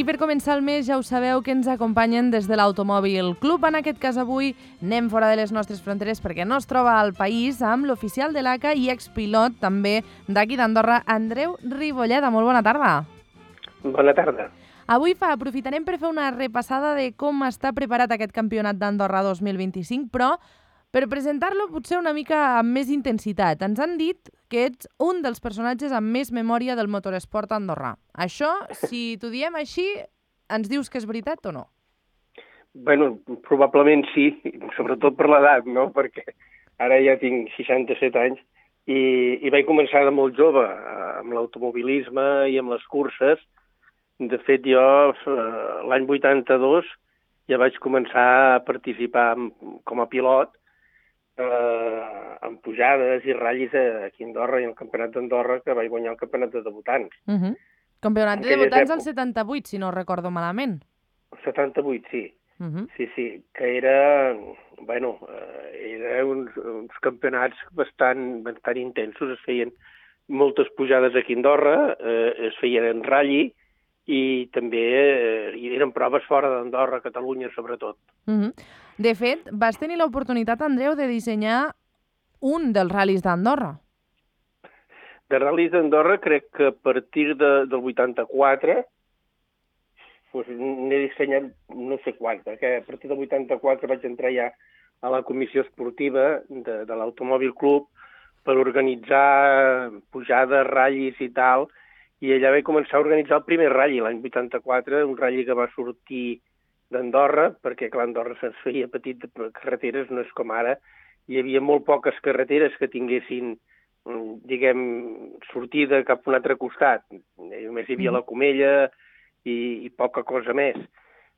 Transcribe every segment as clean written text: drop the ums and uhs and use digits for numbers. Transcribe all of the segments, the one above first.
I per començar el mes ja ho sabeu que ens acompanyen des de l'Automòbil Club. En aquest cas avui anem fora de les nostres fronteres perquè no es troba al país amb l'oficial de l'ACA i expilot també d'aquí d'Andorra, Andreu Ribolleda. Molt bona tarda. Bona tarda. Avui aprofitarem per fer una repassada de com està preparat aquest campionat d'Andorra 2025, però per presentar-lo potser una mica amb més intensitat. Ens han dit que ets un dels personatges amb més memòria del motoresport andorrà. Això, si t'ho diem així, ens dius que és veritat o no? Bueno, probablement sí, sobretot per l'edat, no? Perquè ara ja tinc 67 anys i vaig començar de molt jove amb l'automobilisme i amb les curses. De fet, jo l'any 82 ja vaig començar a participar com a pilot en pujades i ratllis aquí a Andorra i al Campionat d'Andorra, que vaig guanyar el Campionat de debutants. Campionat de debutants al 78, si no recordo malament. El 78, sí. Sí, que era, bueno, uns campionats bastant intensos. Es feien moltes pujades aquí a Andorra, es feien en ratlli, i també hi eren proves fora d'Andorra, Catalunya sobretot. De fet, vas tenir l'oportunitat, Andreu, de dissenyar un dels ral·lis d'Andorra. De ral·lis d'Andorra crec que a partir del 84 n'he dissenyat no sé quants, perquè a partir del 84 vaig entrar ja a la comissió esportiva de l'Automòbil Club per organitzar pujades, ratllis i tal, i allà vaig començar a organitzar el primer ratlli, l'any 84, un ratlli que va sortir d'Andorra, perquè clar, Andorra se'ns feia petit de carreteres, no és com ara. Hi havia molt poques carreteres que tinguessin, diguem, sortida cap a un altre costat. Només hi havia la Comella i poca cosa més.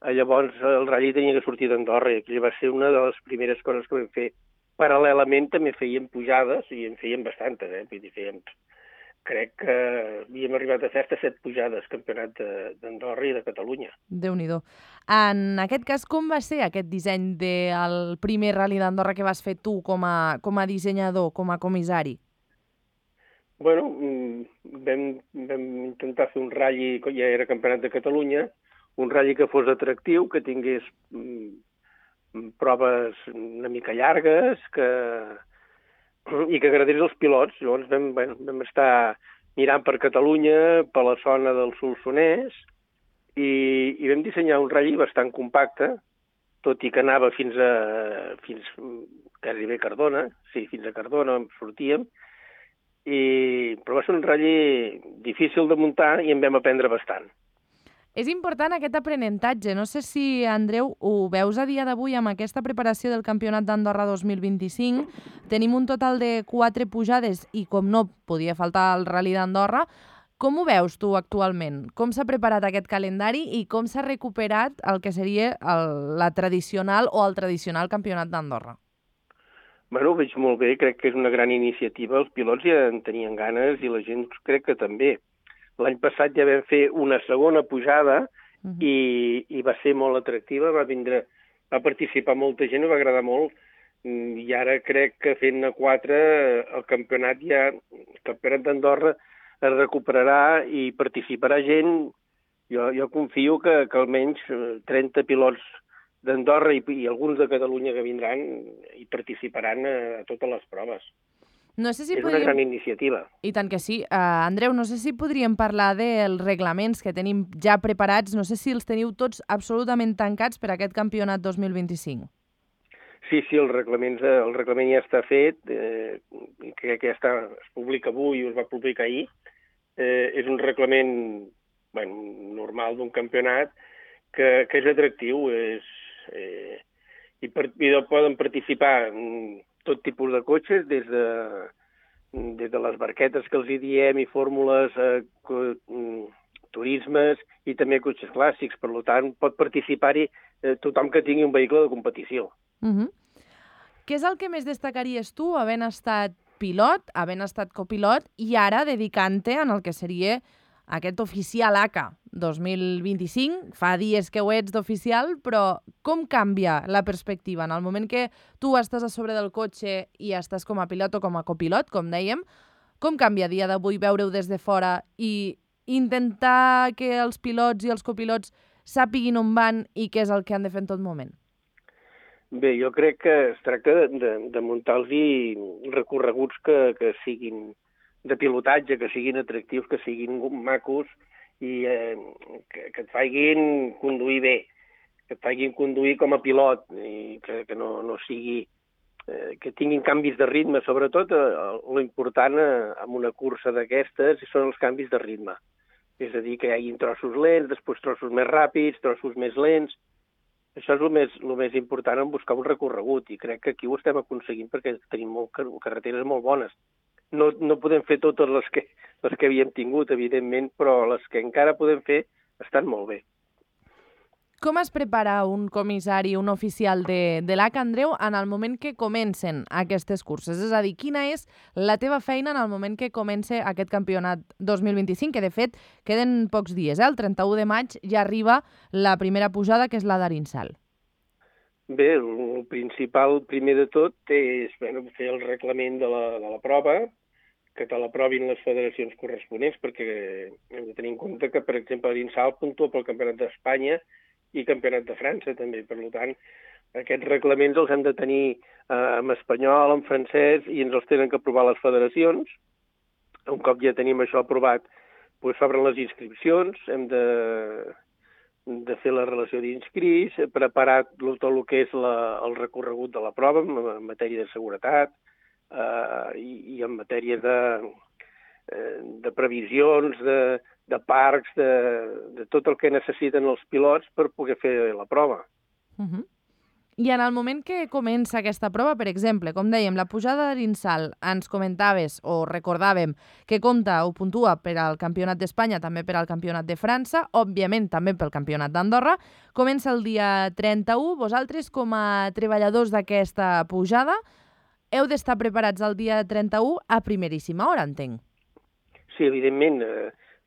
Llavors el ratlli tenia que sortir d'Andorra i aquella va ser una de les primeres coses que vam fer. Paral·lelament també fèiem pujades i en fèiem bastantes, vull dir, crec que havíem arribat a fer 7 pujades, campionat d'Andorra i de Catalunya. Déu-n'hi-do. En aquest cas, com va ser aquest disseny del primer ral·li d'Andorra que vas fer tu com a dissenyador, com a comissari? Bueno, vam intentar fer un ratlli, que ja era campionat de Catalunya, un ratlli que fos atractiu, que tingués proves una mica llargues, i que agradés als pilots. Llavors vam estar mirant per Catalunya, per la zona del Solsonès, i vam dissenyar un ratlli bastant compacte, tot i que anava fins gairebé Cardona, sí, fins a Cardona sortíem, però va ser un ratlli difícil de muntar i en vam aprendre bastant. És important aquest aprenentatge. No sé si, Andreu, ho veus a dia d'avui amb aquesta preparació del Campionat d'Andorra 2025. Tenim un total de 4 pujades i, com no, podia faltar el Rally d'Andorra. Com ho veus tu actualment? Com s'ha preparat aquest calendari i com s'ha recuperat el que seria la tradicional o el tradicional Campionat d'Andorra? Bueno, ho veig molt bé. Crec que és una gran iniciativa. Els pilots ja en tenien ganes i la gent crec que també. L'any passat ja vam fer una segona pujada i va ser molt atractiva, va participar molta gent, va agradar molt, i ara crec que fent-ne 4 el campionat d'Andorra es recuperarà i participarà gent. Jo confio que almenys 30 pilots d'Andorra i alguns de Catalunya que vindran i participaran a totes les proves. No sé si és una gran iniciativa. I tant que sí. Andreu, no sé si podríem parlar dels reglaments que tenim ja preparats. No sé si els teniu tots absolutament tancats per a aquest campionat 2025. Sí, el reglament ja està fet. Crec que es publica avui o es va publicar ahir. És un reglament normal d'un campionat que és atractiu. I poden participar tot tipus de cotxes, des de les barquetes que els hi diem i fórmules, turismes i també cotxes clàssics. Per tant, pot participar-hi tothom que tingui un vehicle de competició. Què és el que més destacaries tu, havent estat pilot, havent estat copilot i ara dedicant-te en el que seria aquest oficial ACA 2025, fa dies que ho ets d'oficial, però com canvia la perspectiva? En el moment que tu estàs a sobre del cotxe i estàs com a pilot o com a copilot, com dèiem, com canvia a dia d'avui veure-ho des de fora i intentar que els pilots i els copilots sàpiguin on van i què és el que han de fer en tot moment? Bé, jo crec que es tracta de muntar-los recorreguts que siguin de pilotatge, que siguin atractius, que siguin macos i que et facin conduir bé, que et facin conduir com a pilot i que no sigui... que tinguin canvis de ritme. Sobretot, lo important en una cursa d'aquestes són els canvis de ritme. És a dir, que hi hagi trossos lents, després trossos més ràpids, trossos més lents. Això és el més important en buscar un recorregut, i crec que aquí ho estem aconseguint perquè tenim carreteres molt bones. No podem fer totes les que havíem tingut, evidentment, però les que encara podem fer estan molt bé. Com es prepara un comissari, un oficial de l'ACA, Andreu, en el moment que comencen aquestes curses? És a dir, quina és la teva feina en el moment que comença aquest campionat 2025, que de fet queden pocs dies, el 31 de maig ja arriba la primera pujada, que és la d'Arinsal. Bé, el principal, primer de tot, és fer el reglament de la prova, que te l'aprovin les federacions corresponents, perquè hem de tenir en compte que, per exemple, Arinsal puntua pel Campionat d'Espanya i Campionat de França, també. Per tant, aquests reglaments els hem de tenir en espanyol, en francès, i ens els tenen que aprovar les federacions. Un cop ja tenim això aprovat, doncs s'obren les inscripcions, hem de fer la relació d'inscrits, preparar tot el que és el recorregut de la prova en matèria de seguretat i en matèria de previsions, de parcs, de tot el que necessiten els pilots per poder fer la prova. I en el moment que comença aquesta prova, per exemple, com dèiem, la pujada d'Arinsal, ens comentaves o recordàvem que compta o puntua per al Campionat d'Espanya, també per al Campionat de França, òbviament també pel Campionat d'Andorra, comença el dia 31. Vosaltres, com a treballadors d'aquesta pujada, heu d'estar preparats el dia 31 a primeríssima hora, entenc. Sí, evidentment.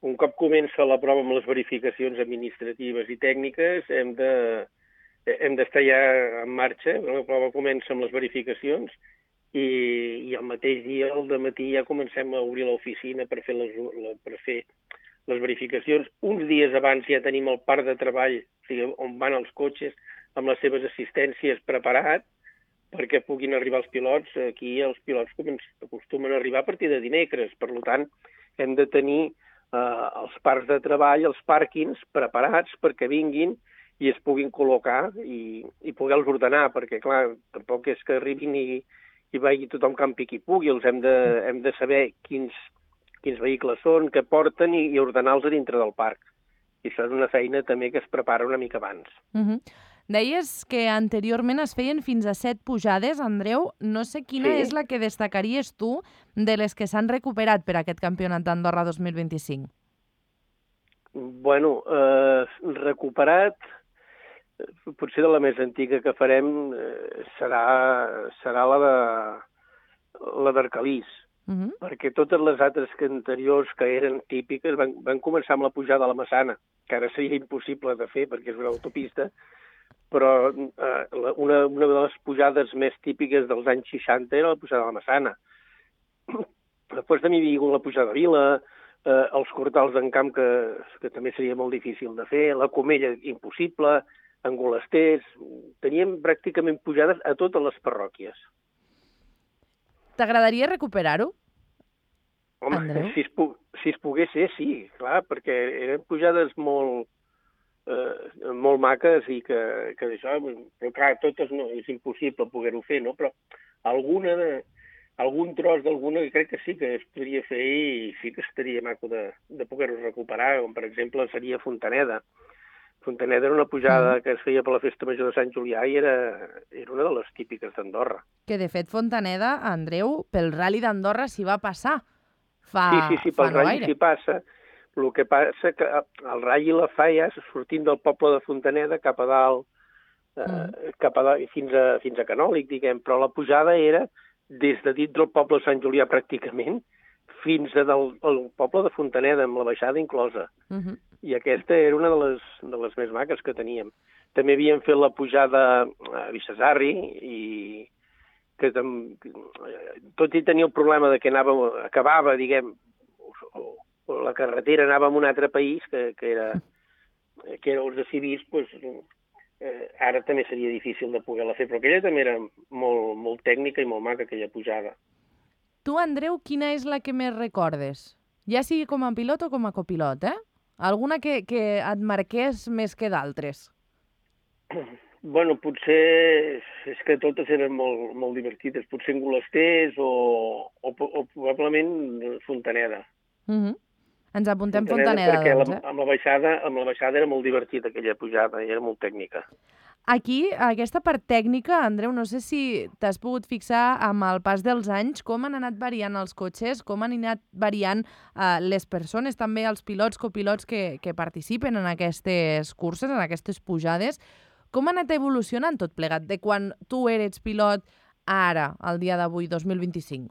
Un cop comença la prova amb les verificacions administratives i tècniques, hem d'estar ja en marxa. La prova comença amb les verificacions i el mateix dia, al dematí, ja comencem a obrir l'oficina per fer les verificacions. Uns dies abans ja tenim el parc de treball, o sigui, on van els cotxes amb les seves assistències preparat perquè puguin arribar els pilots. Aquí els pilots acostumen a arribar a partir de dimecres. Per tant, hem de tenir els parcs de treball, els pàrquings preparats perquè vinguin i es puguin col·locar i poder-los ordenar, perquè, clar, tampoc és que arribin i vagi tothom campi qui pugui. Hem de saber quins vehicles són, què porten i ordenar-los a dintre del parc. I això és una feina també que es prepara una mica abans. Deies que anteriorment es feien fins a 7 pujades, Andreu. No sé quina és la que destacaries tu de les que s'han recuperat per aquest Campionat d'Andorra 2025. Bueno, recuperat, potser de la més antiga que farem serà la d'Arcalís, perquè totes les altres anteriors que eren típiques van començar amb la pujada a la Massana, que ara seria impossible de fer perquè és una autopista, però una de les pujades més típiques dels anys 60 era la pujada a la Massana. Després també hi havia hagut la pujada a Vila, els cortals d'en Camp, que també seria molt difícil de fer, la Comella impossible, Angolesters. Teníem pràcticament pujades a totes les parròquies. T'agradaria recuperar-ho? Home, si es pogués ser, sí, clar, perquè eren pujades molt maques i que això, però clar, totes no, és impossible poder-ho fer, no? Però algun tros d'alguna que crec que sí que es podria fer i sí que estaria maco de poder-ho recuperar, com per exemple seria Fontaneda. Fontaneda era una pujada que es feia per la Festa Major de Sant Julià i era una de les típiques d'Andorra. Que de fet Fontaneda, Andreu, pel Rally d'Andorra s'hi va passar fa Sí, pel Rally s'hi passa. El que passa que el Rally la fa ja sortint del poble de Fontaneda cap a dalt, fins a Canòlic, diguem, però la pujada era des de dintre del poble de Sant Julià pràcticament fins al poble de Fontaneda, amb la baixada inclosa. I aquesta era una de les més maques que teníem. També havíem fet la pujada a Bixasarri i que tot i tenir el problema de que acabava, diguem, la carretera anava a un altre país, que era els de civils, doncs, ara també seria difícil de poder-la fer, però aquella també era molt, molt tècnica i molt maca, aquella pujada. Tu, Andreu, quina és la que més recordes? Ja sigui com a pilot o com a copilot, eh? Alguna que et marqués més que d'altres? Bueno, potser és que totes eren molt, molt divertides. Potser Engolasters o probablement Fontaneda. Ens apuntem Fontaneda, perquè doncs, amb la baixada era molt divertida aquella pujada i era molt tècnica. Aquí, aquesta part tècnica, Andreu, no sé si t'has pogut fixar amb el pas dels anys com han anat variant els cotxes, com han anat variant les persones, també els pilots, copilots que participen en aquestes curses, en aquestes pujades. Com ha anat evolucionant tot plegat de quan tu eres pilot a ara, al dia d'avui, 2025?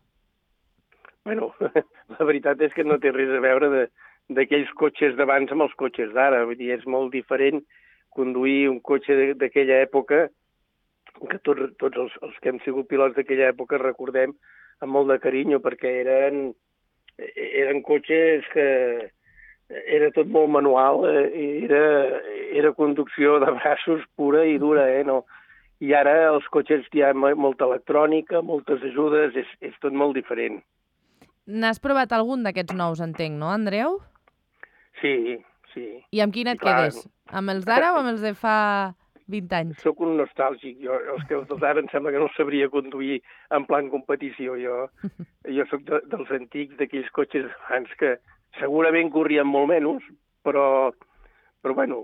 Bueno, la veritat és que no té res a veure d'aquells cotxes d'abans amb els cotxes d'ara. Vull dir, és molt diferent conduir un cotxe d'aquella època, que tots els que hem sigut pilots d'aquella època recordem amb molt de carinyo, perquè eren cotxes que era tot molt manual, era conducció de braços pura i dura, no? I ara els cotxes hi ha molta electrònica, moltes ajudes, és tot molt diferent. N'has provat algun d'aquests nous, entenc, no, Andreu? Sí. I amb quin et quedes? Amb els d'ara o amb els de fa 20 anys? Soc un nostàlgic. Els d'ara em sembla que no sabria conduir en plan competició. Jo soc dels antics, d'aquells cotxes abans que segurament corrien molt menys, però bueno,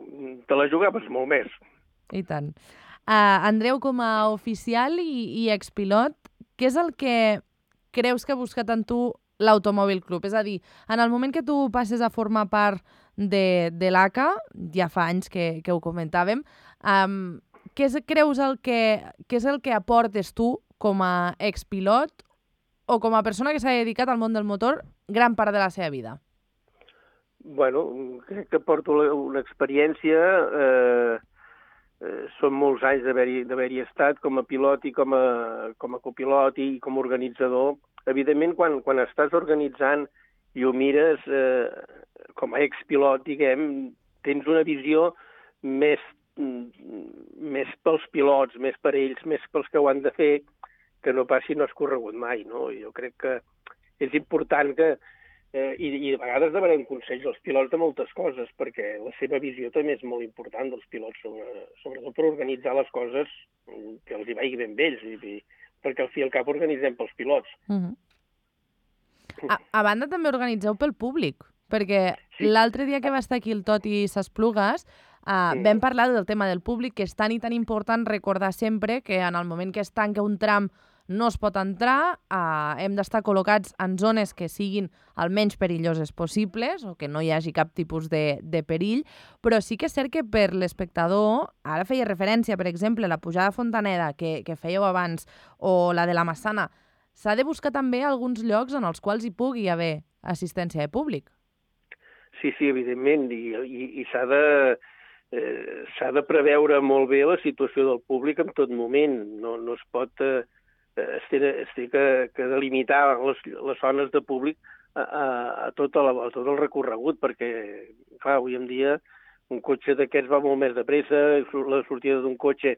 te la jugaves molt més. I tant. Andreu, com a oficial i expilot, què és el que creus que ha buscat en tu l'Automòbil Club? És a dir, en el moment que tu passes a formar part de l'ACA, ja fa anys que ho comentàvem, què creus que és el que aportes tu com a expilot o com a persona que s'ha dedicat al món del motor gran part de la seva vida? Bueno, crec que porto una experiència, són molts anys d'haver-hi estat com a pilot i com a copilot i com a organitzador. Evidentment, quan estàs organitzant i ho mires com a expilot, diguem, tens una visió més pels pilots, més per ells, més pels que ho han de fer, que no pas si no has corregut mai, no? Jo crec que és important que i a vegades demanem consells als pilots de moltes coses, perquè la seva visió també és molt important dels pilots, sobretot per organitzar les coses que els hi vagi ben bé ells, perquè al fi i al cap organitzem pels pilots. A banda també organitzeu pel públic, perquè l'altre dia que va estar aquí el Toti S'Esplugues vam parlar del tema del públic, que és tan i tan important recordar sempre que en el moment que es tanca un tram no es pot entrar, hem d'estar col·locats en zones que siguin el menys perilloses possibles o que no hi hagi cap tipus de perill, però sí que és cert que per l'espectador, ara feia referència, per exemple, a la pujada a Fontaneda que fèieu abans o la de la Massana, s'ha de buscar també alguns llocs en els quals hi pugui haver assistència de públic. Sí, evidentment, i s'ha de preveure molt bé la situació del públic en tot moment. No es pot... Es té que delimitar les zones de públic a tot el recorregut, perquè, clar, avui en dia un cotxe d'aquests va molt més de pressa, la sortida d'un cotxe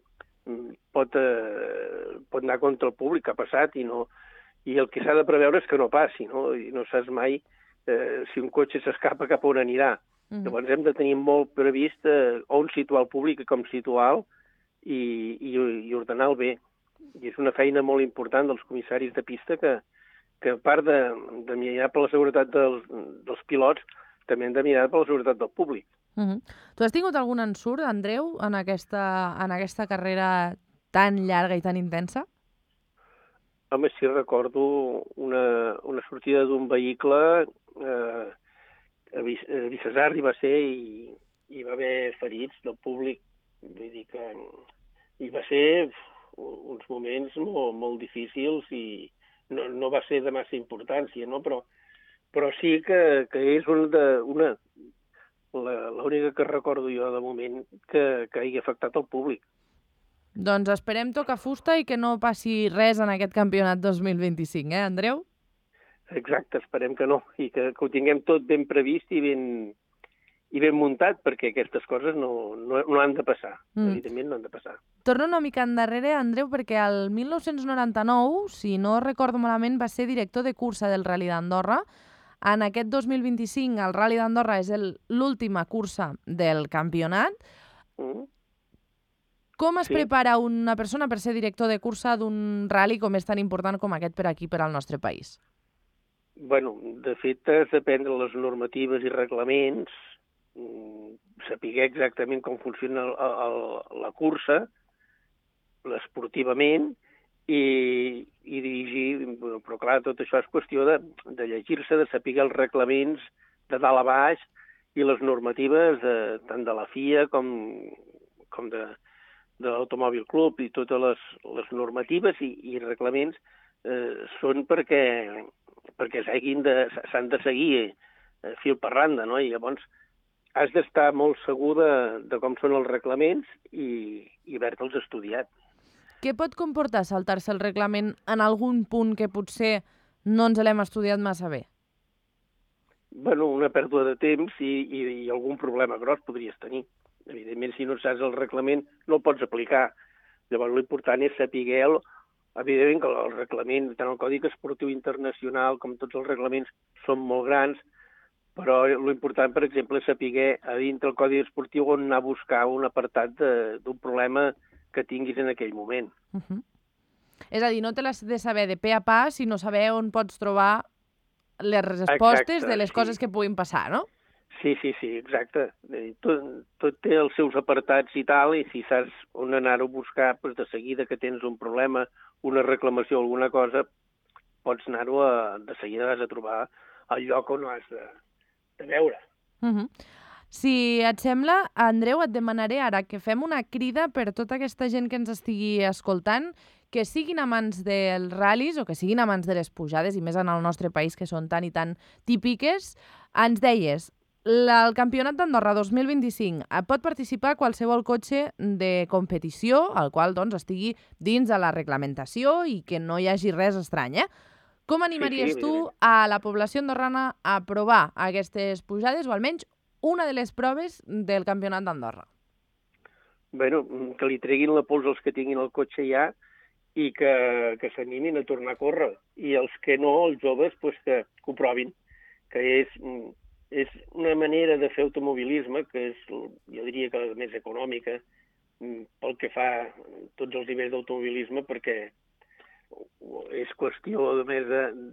pot anar contra el públic, que ha passat, i el que s'ha de preveure és que no passi, no? I no saps mai si un cotxe s'escapa cap on anirà. Llavors hem de tenir molt previst on situar el públic i com situar-lo i ordenar-lo bé. I és una feina molt important dels comissaris de pista que a part de mirar per la seguretat dels pilots, també hem de mirar per la seguretat del públic. Tu has tingut algun ensurt, Andreu, en aquesta carrera tan llarga i tan intensa? Home, sí, recordo una sortida d'un vehicle a Vicesarri va ser i hi va haver ferits del públic. Vull dir que hi va ser uns moments molt difícils i no va ser de massa importància, no? Però sí que és l'única que recordo jo de moment que hagi afectat el públic. Doncs esperem tocar fusta i que no passi res en aquest campionat 2025, Andreu? Exacte, esperem que no, i que ho tinguem tot ben previst i ben muntat, perquè aquestes coses no han de passar, evidentment no han de passar. Torno una mica endarrere, Andreu, perquè el 1999, si no recordo malament, va ser director de cursa del Rally d'Andorra. En aquest 2025 el Rally d'Andorra és l'última cursa del campionat. Com es prepara una persona per ser director de cursa d'un rally com és tan important com aquest per aquí, per al nostre país? Bueno, de fet, has d'aprendre les normatives i reglaments, saber exactament com funciona la cursa, esportivament, i dirigir, però clar, tot això és qüestió de llegir-se, de saber els reglaments de dalt a baix i les normatives tant de la FIA com de l'Automòbil Club, i totes les normatives i reglaments són perquè s'han de seguir fil per randa, no? I llavors has d'estar molt segur de com són els reglaments i haver-te'ls estudiat. Què pot comportar saltar-se el reglament en algun punt que potser no ens l'hem estudiat massa bé? Bueno, una pèrdua de temps i algun problema gros podries tenir. Evidentment, si no saps el reglament, no el pots aplicar. Llavors, l'important és saber-lo. Evidentment que el reglament, tant el Codi Esportiu Internacional com tots els reglaments, són molt grans, però l'important, per exemple, és saber a dintre el Codi Esportiu on anar a buscar un apartat d'un problema que tinguis en aquell moment. És a dir, no te l'has de saber de pe a pa, sinó saber on pots trobar les respostes de les coses que puguin passar, no? Sí, exacte. Tot té els seus apartats i tal, i si saps on anar-ho a buscar, doncs de seguida que tens un problema, una reclamació o alguna cosa, pots anar-ho de seguida vas a trobar el lloc on ho has de veure. Si et sembla, Andreu, et demanaré ara que fem una crida per tota aquesta gent que ens estigui escoltant, que siguin amants dels ral·lis o que siguin amants de les pujades, i més en el nostre país, que són tan i tan típiques. Ens deies, el Campionat d'Andorra 2025 pot participar qualsevol cotxe de competició, al qual doncs, estigui dins de la reglamentació i que no hi hagi res estrany, Com animaries tu a la població andorrana a provar aquestes pujades, o almenys una de les proves del Campionat d'Andorra? Bueno, que li treguin la pols als que tinguin el cotxe ja i que s'animin a tornar a córrer. I els que no, els joves, pues que ho provin, que és una manera de fer automobilisme que és, jo diria que la més econòmica pel que fa a tots els nivells d'automobilisme, perquè és qüestió només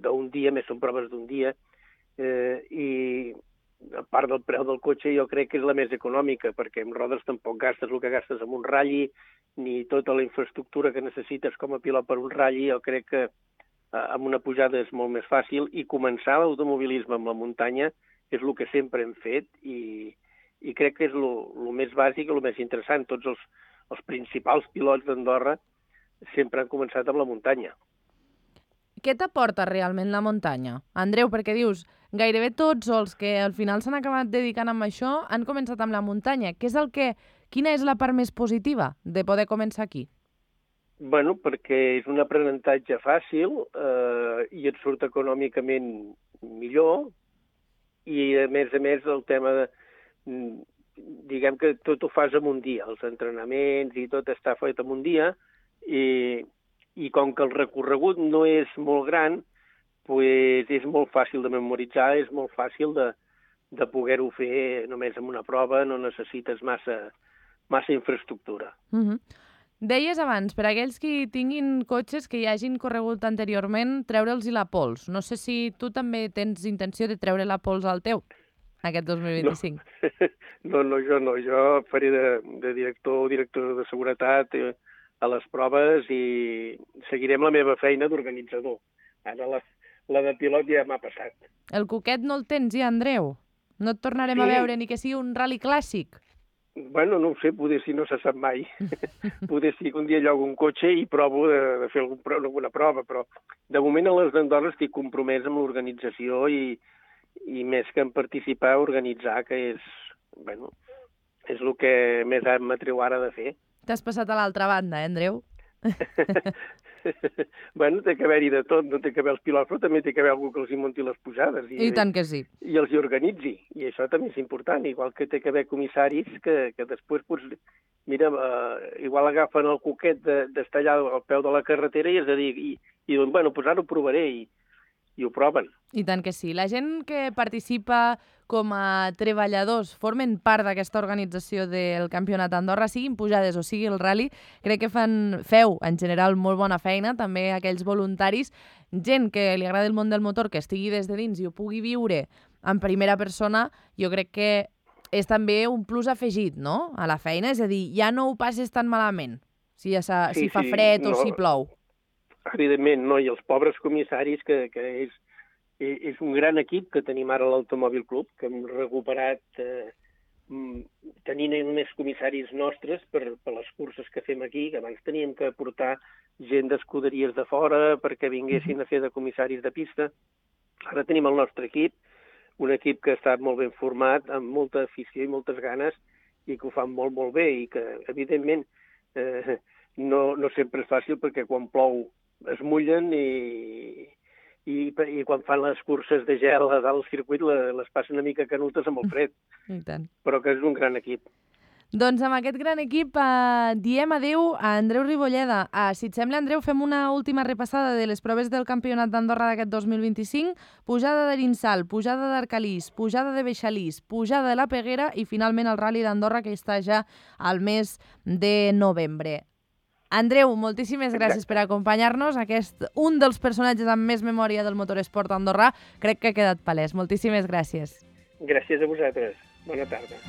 d'un dia, més són proves d'un dia, i a part del preu del cotxe jo crec que és la més econòmica, perquè amb rodes tampoc gastes el que gastes amb un ral·li, ni tota la infraestructura que necessites com a pilot per un ral·li. Jo crec que amb una pujada és molt més fàcil, i començar l'automobilisme amb la muntanya és el que sempre hem fet, i crec que és el més bàsic i el més interessant. Tots els principals pilots d'Andorra sempre han començat amb la muntanya. Què t'aporta realment la muntanya, Andreu? Perquè dius, gairebé tots els que al final s'han acabat dedicant amb això han començat amb la muntanya. Quina és la part més positiva de poder començar aquí? Bueno, perquè és un aprenentatge fàcil i et surt econòmicament millor, i a més el tema de... Diguem que tot ho fas en un dia, els entrenaments i tot està fet en un dia, i com que el recorregut no és molt gran, pues és molt fàcil de memoritzar, és molt fàcil de poder-ho fer només amb una prova, no necessites massa infraestructura. Deies abans, per aquells que tinguin cotxes que hi hagin corregut anteriorment, treure'ls la pols. No sé si tu també tens intenció de treure la pols al teu, aquest 2025. No, jo no. Jo faré de director de seguretat a les proves i seguirem la meva feina d'organitzador. Ara la de pilot ja m'ha passat. El coquet no el tens ja, Andreu? No et tornarem a veure ni que sigui un ral·li clàssic? Bueno, no ho sé, poder si no se sap mai. Poder si un dia llogo un cotxe i provo de fer alguna prova, però de moment a les d'Andorra estic compromès amb l'organització i més que en participar, organitzar, que és el que més m'atreu ara de fer. T'has passat a l'altra banda, Andreu? Bueno, té que haver-hi de tot, no té que haver els pilots, però també té que haver algú que els hi munti les pujades. I tant que sí. I els hi organitzi, i això també és important, igual que té que haver comissaris que després, doncs, mira, igual agafen el coquet d'estar allà al peu de la carretera i és a dir, i diuen, bueno, doncs ara ho provaré, i ho proven. I tant que sí. La gent que participa com a treballadors formen part d'aquesta organització del Campionat d'Andorra, siguin pujades o sigui el rally, crec que feu en general molt bona feina, també aquells voluntaris, gent que li agrada el món del motor, que estigui des de dins i ho pugui viure en primera persona, jo crec que és també un plus afegit, no?, a la feina, és a dir, ja no ho passes tan malament, si fa fred o si plou. Evidentment, no, i els pobres comissaris, que és un gran equip que tenim ara a l'Automòbil Club, que hem recuperat tenint més comissaris nostres per les curses que fem aquí, que abans teníem que portar gent d'escuderies de fora perquè vinguessin a fer de comissaris de pista. Ara tenim el nostre equip, un equip que està molt ben format, amb molta afició i moltes ganes, i que ho fan molt, molt bé, i que, evidentment, no sempre és fàcil, perquè quan plou es mullen i quan fan les curses de gel a dalt del circuit les passen una mica canutes amb el fred. I tant. Però que és un gran equip. Doncs amb aquest gran equip diem adeu a Andreu Ribolleda. Si et sembla, Andreu, fem una última repassada de les proves del Campionat d'Andorra d'aquest 2025. Pujada d'Arinsal, pujada d'Arcalís, pujada de Beixalís, pujada de la Peguera i finalment el Rally d'Andorra, que està ja al mes de novembre. Andreu, moltíssimes gràcies per acompanyar-nos. Un dels personatges amb més memòria del motoresport andorrà crec que ha quedat palès. Moltíssimes gràcies. Gràcies a vosaltres. Bona tarda.